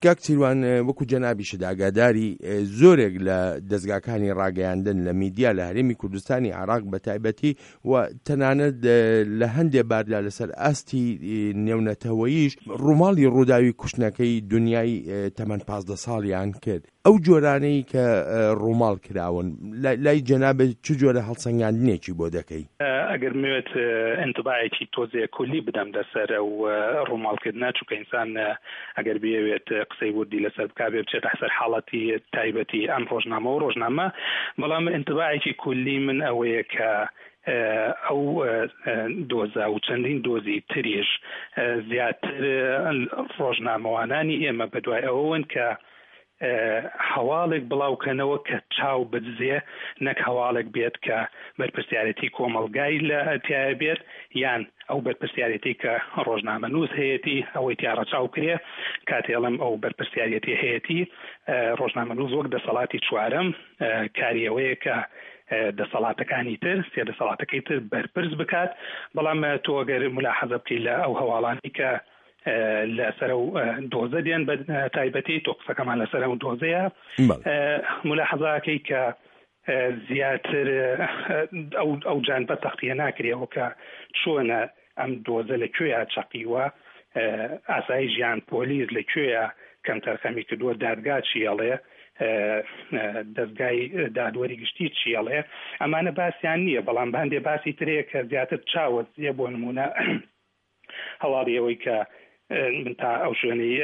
کاک سیروان وەکو جەنابیشت ئاگاداری زۆرێک لە دەزگاکانی ڕاگەیاندن لە میدیا لە هەرێمی کوردستانی عێراق بە تایبەتی و تەنانەت لە هەندێ باردا لەسەر ئاستی نێونەتەوەیش ڕووماڵی ڕووداوی کوشتنەکەی دنیای تەمەن 15 ساڵیان کرد. ئەو جۆرانەی کە ڕووماڵ کراون لای جەنابت چ جۆرە هەڵسەنگاندنێکی بۆ دەکەی؟ ئەگەر بمەوێت ئینتباعێکی تۆزێ کولی بدەم لەسەر ئەو ڕووماڵکردنە، چونکە ئینسان ئەگەر بیەوێت قسەی وردی لەسەر بکا بێ بچێتە سەر حاڵەتی تایبەتی ئەم ڕۆژنامە و ڕۆژنامە، بەڵام ئینتباعێکی کولی من ئەوەیە کە ئەو دۆزە و چەندین دۆزی تریش زیاتر ڕۆژنامەوانانی ئێمە بەدوای ئەوەوەن کە هەواڵێک بڵاوکەنەوە کە چاو بدزێ نەک هەواڵێک بێت کە بەرپرسیارێتی کۆمەڵگای لە تیایا بێت یان ئەو بەرپرسیارێتی کە ڕۆژنامەنووس هەیەتی ئەوەی تیا ڕەچاو کرێ کاتێ ئەڵێم ئەو بەرپرسیارێتی هەیەتی ڕۆژنامەنووس وەک دەسەڵاتی چوارەم کاری ئەوەیە کە دەسەڵاتەکانی تر سێ دەسەڵاتەکەی تر بەرپرس بکات بەڵام تۆ ئەگەر ملاحەزە بکەی لە ئەو هەواڵانەی کە لەسەر ئەو دۆزە دێن بە تایبەتی تۆ قسەکەمان لەسەر ئەو دۆزەیە ملاحەزاکەی کە زیاتر ئەو ئەو جانبە تەختیە ناکرێەوە کە چۆنە ئەم دۆزە لە کوێیا چەقیوە ئاسایی ژیان پۆلیس لە کوێیە کەم تەرخەمی کردووە دادگا چیەڵێ دەستگای دادوەری گشتی چیەڵێ ئەمانە باسییان نییە بەڵام هەندێ باسی ترەیە کە زیاتر چاوە بۆ نمونە هەواڵی ئەوەی کە من تا ئەو شوێنەی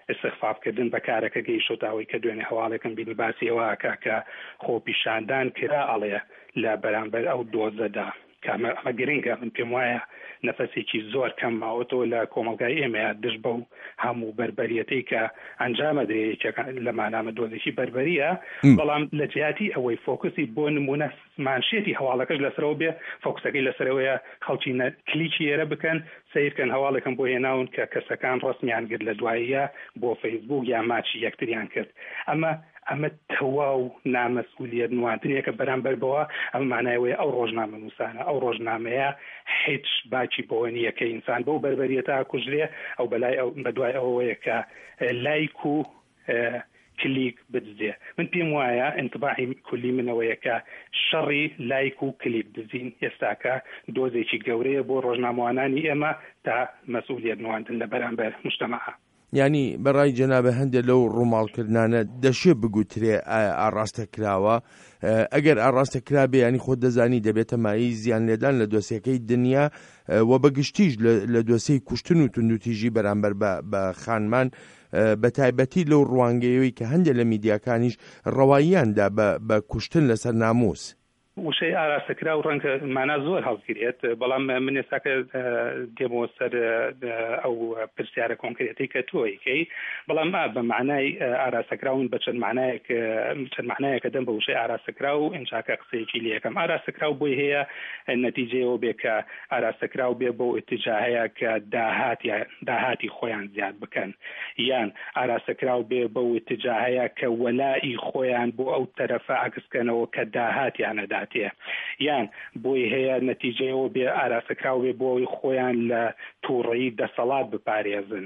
ئیستخفاف کردن بە کارەکە گەیشتۆتە ئەوەی کە دوێنێ هەواڵێکم بینی باسی ئەوە ئەکا کە خۆپیشاندان کرا ئەڵێ لە بەرامبەر ئەو دۆزەدا کە ئەمە ئەمە گرنگە من پێم وایە نەفەسێکی زۆر کەم ماوەتەوە لە کۆمەڵگای ئێمەیە دژ بەو هەموو بەربەریەتەی کە ئەنجامەدرێ یەکێک لەمانامە دۆزێکی بەربەریە بەڵام لە جیاتی ئەوەی فۆکسی بۆ نمونە مانشێتی هەواڵەکەش لەسەرەوە بێ فۆکسەکەی لەسەرەوەیە خەڵکی نە کلیکی ئێرە بکەن سەیرکەن هەواڵێکم بۆ هێناون کە کەسەکان ڕەسمیان گرت لە دواییە بۆ فەیسبوک یا ماچی یەکتریان کرد ئەمە ئەمە تەواو نامەسئولیەت نواندنێکە بەرامبەر بەوە ئەمە مانای ئەوەیە ئەو ڕۆژنامەنووسانە ئەو ڕۆژنامەیە هیچ باکی بەوە نییە کە ئینسان بەو بەربەریەتە ئەکوژرێ ئەو بەلای ئەو بەدوای ئەوەیە کە لایک و کلیک بدزێ. من پێم وایە ئینتباعی کولی من ئەوەیە کە شەڕی لایک و کلیک دزین ئێستاکە دۆزێکی گەورەیە بۆ ڕۆژنامەوانانی ئێمە تا مەسئولیەت نواندن لە بەرامبەر موجتەمەعا. یانی بە ڕای جەنابت هەندێ لەو ڕووماڵکردنانە دەشێ بگوترێ ئایا ئاڕاستە کراوە؟ ئەگەر ئاڕاستە کرابێ یانی خۆت دەزانی دەبێتە مایەی زیان لێدان لە دۆسیەکەی دنیا و بە گشتیش لە دۆسیەی کوشتن و توندوتیژی بەرامبەر بە خانمان بە تایبەتی لەو ڕوانگەیەوەی کە هەندێک لە میدیاکانیش ڕەواییان دا بە کوشتن لەسەر ناموس. وشەی ئاراستەکراو ڕەنگە مانا زۆر هەڵگرێت، بەڵام من ئێستاکە دێمەوە سەر ئەو پرسیارە کۆنکرێتەی کە تۆ ئەیکەی، بەڵام ئا بە مانای ئاراستەکراو من بە چەند مانایەک چەند مانایەک ئەدەم بە وشەی ئاراستەکراو ئینجاکە قسەیەکی لێ ئەکەم. ئاراستەکراو بۆی هەیە نەتیجەی ئەوە بێ کە ئاراستەکراو بێ بەو ئیتیجاهەیە کە داهات یا داهاتی خۆیان زیاد بکەن یان ئاراستەکراو بێ بەو ئیتجاهەیە کە وەلائی خۆیان بۆ ئەو تەرەفە عەکس کەنەوە کە داهاتیان ئەداتێ یان بۆی هەیە نەتیجەی ئەوە بێ ئاراستەکراو بێ بۆ ئەوەی خۆیان لە توڕەیی دەسەڵات بپارێزن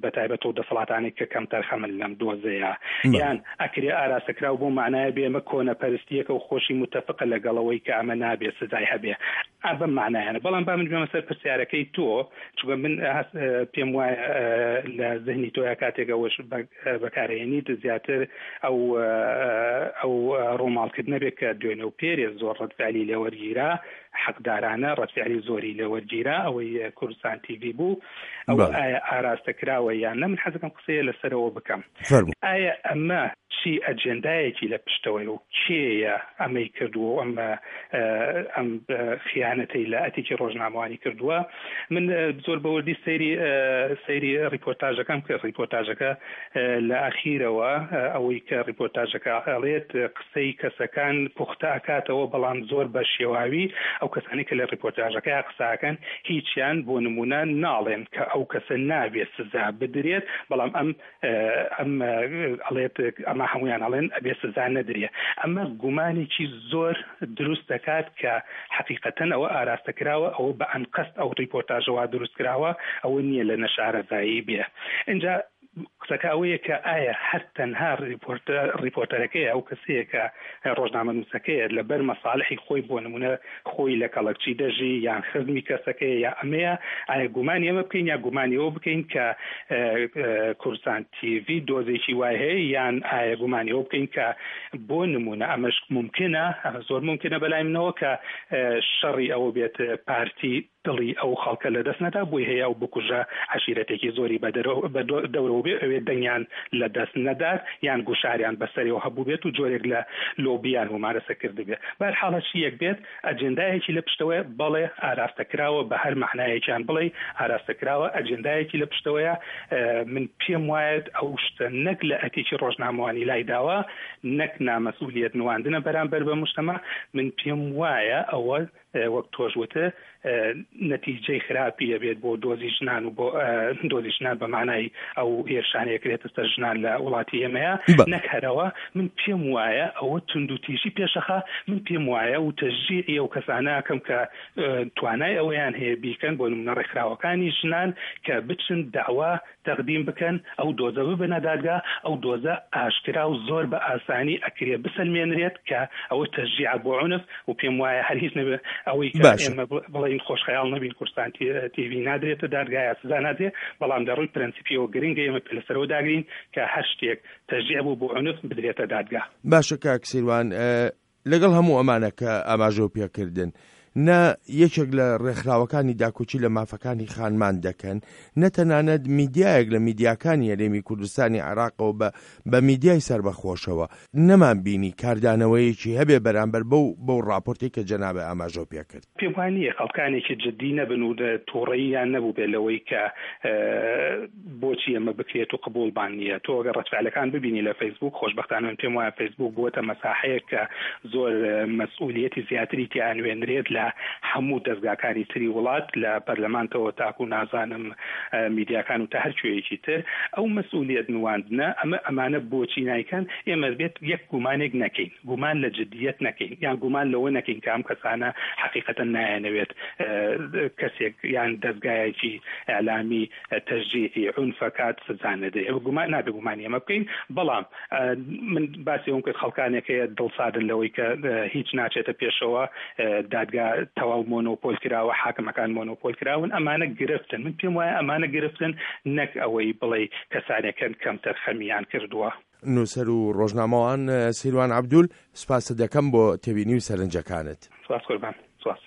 بەتایبەت ئەو دەسەڵاتانەی کە کەمتەرخەمن لەم دۆزەیا یان ئەکرێ ئاراستەکراو بەو مەعنایە بێ ئەمە کۆنەپەرستیەکە و خۆشی موتەفقە لەگەڵ ئەوەی کە ئەمە نابێ سزای هەبێ ئا بەم مەعنایانە بەڵام با من بێمە سەر پرسیارەکەی تۆ چونکە من هەست پێم وایە لە زهنی تۆیا کاتێک ئەوەش بەکارهێنیت زیاتر ئەو ئەو ڕووماڵکردنە بێ کە دوێنێ و پێرێ زۆر ڕەدفعلی لێ وەرگیرا حەقدارانە ڕەدفعلی زۆری لێ وەرگیرا ئەوەی کوردستان تیڤی بوو ئەو ئایا ئاراستە کراوە یان نە من حەزەکەم قسەیە لەسەرەوە بکەم ئایا ئەمە چی ئەجێندایەکی لە پشتەوەیە و کێیە ئەمەی کردووە و ئەم ئەم خیانەتەی لە ئەتیکی ڕۆژنامەوانی کردووە من زۆر بەوردی سەیری سەیری ڕیپۆرتاژەکەم کرد ڕیپۆرتاژەکە لە ئەخیرەوە ئەوەی کە ڕیپۆرتاژەکە ئەڵێت قسەی کەسەکان پوختە ئەکاتەوە بەڵام زۆر بە شێواوی ئەو کەسانەی کە لە ڕیپۆرتاژەکەیا قسە ئەکەن هیچیان بۆ نمونە ناڵێن کە ئەو کەسە نابێ سزا بدرێت بەڵام ئەم ئەم ئەڵێت ئەمە هەمویان ئەڵێن ئەبێ سزا نەدرێ ئەمە گومانێکی زۆر دروست دەکات کە حەقیقەتەن ئەوە ئاراستە کراوە ئەوە بە ئەنقەست ئەو ڕیپۆرتاژە وا دروست کراوە ئەوە نییە لە نەشارەزایی بێ ئینجا. قسەکە ئەوەیە کە ئایا هەر تەنها ڕیپۆرتەرەکەیە، ئەو کەسەیە کە ڕۆژنامەنووسەکەیە لەبەر مەسالحی خۆی بۆ نموونە خۆی لە کەڵەکچی دەژی یان خزمی کەسەکەیە یا ئەمەیە، ئایا گومانی ئەمە بکەین یا گومانی ئەوە بکەین کە کوردستان تیڤی دۆزێکی وای هەیە یان ئایا گومانی ئەوە بکەین کە بۆ نموونە ئەمەش مومکنە، ئەمە زۆر مومکنە بەلای منەوە کە شەڕی ئەوە بێت پارتی دڵی ئەو خەڵکە لە دەست نەدا، بۆی هەیە ئەو بکوژە عەشیرەتێکی زۆری بە دەورەوە بێ ئەوێ دەنگیان لە دەست نەدات یان گوشاریان بە سەرێوە هەبووبێت و جۆرێک لە لۆبیان مومارەسە کردبێ. بەهەرحاڵ هەرچییەک بێت ئەجێندایەکی لە پشتەوەیە، بەڵێ ئاراستە کراوە بە هەر مەعنایەکیان بڵێی ئاراستە کراوە، ئەجێندایەکی لە پشتەوەیە، من پێم وایە ئەو شتە نەک لە ئەتیکی ڕۆژنامەوانی لای داوە، نەک نامەسئولیەت نواندنە بەرامبەر بە موجتەمەع، من پێم وایە ئەوە وەک تۆش وتت نەتیجەی خراپی ئەبێت بۆ دۆزی ژنان و بۆ دۆزی ژنان بە مانای ئەو هێرشانەیە کرێتە سەر ژنان لە وڵاتی ئێمەیە نەک هەرەوە من پێم وایە ئەوە توندوتیژی پێشەخا من پێم وایە و تەشجیعی ئەو کەسانە ئەکەم کە توانای ئەوەیان هەیە بیکەن بۆ نمونە ڕێکخراوەکانی ژنان کە بچن داوا تەقدیم بکەن، ئەو دۆزە ببەنە دادگا، ئەو دۆزە ئاشکرا و زۆر بە ئاسانی ئەکرێ بسەلمێنرێت کە ئەوە تەشجیعە بۆ عونف و پێم وایە هەر هیچ نەبێ ئەوەی کە باشە. ئێمە بڵێین خۆشخەیاڵ نەبین کوردستان تیڤی نادرێتە دادگا یا سزا نادرێ، بەڵام لە ڕووی پرەنسیپیەوە گرنگە ئێمە پێ لەسەرەوە داگرین کە هەر شتێک تەشجیع بوو بۆ عونف بدرێتە دادگا. باشە کاک سیروان لەگەڵ هەموو ئەمانە کە ئاماژەو پێکردن، نە یەکێک لە ڕێکخراوەکانی داکۆکی لە مافەکانی خانمان دەکەن، نە تەنانەت میدیایەک لە میدیاکانی هەرێمی کوردستانی عێراقەوە بە بە میدیای سەربەخۆشەوە نەمان بینی کاردانەوەیەکی هەبێ بەرامبەر بەو بەو ڕاپۆرتەی کە جەنابت ئاماژەو پێکرد. پێم وا نییە خەڵکانێکی جدی نەبن و توڕەییان نەبووبێت لەوەی کە بۆچی ئەمە بکرێت و قبوڵمان نییە. تۆ ئەگەر ڕەدفعلەکان ببینی لە فەیسبووک، خۆشبەختانە من پێم وایە فەیسبووک بووەتە مەساحەیەک کە زۆر مەسئولیەتی زیاتری تیا ئەنوێنرێت لە هەموو دەزگاکانی تری وڵات، لە پەرلەمانتەوە تاکو نازانم میدیاکان و تا هەر کوێیەکی تر. ئەو مەسئولیەت نواندنە، ئەمە ئەمانە بۆچی نایکەن؟ ئێمە بێت یەک گومانێک نەکەین. گومان لە جدیەت نەکەین یان گومان لەوە نەکەین کە ئەم کەسانە حەقیقەتەن نایانەوێت کەسێک یان دەزگایەکی ئیعلامی تەشجیعی عونفەکات سزا نەدرێ گومان نابێ گومانی ئەمە بکەین بەڵام من باسی ئەوم کرد خەڵکانێک هەیە دڵسادن لەوەی کە هیچ ناچێتە پێشەوە دادگا تەواو مۆنۆپۆل کراوە حاکمەکان مۆنۆپۆل کراون ئەمانە گرفتن من پێم وایە ئەمانە گرفتن نەک ئەوەی بڵێ کەسانێکن کەمتەرخەمیان کردووە. نووسەر و ڕۆژنامەوان سیروان عەبدول، سوپاست دەکەم بۆ تێبینی و سەرنجەکانت. سوپاس قوربان. سوپاس.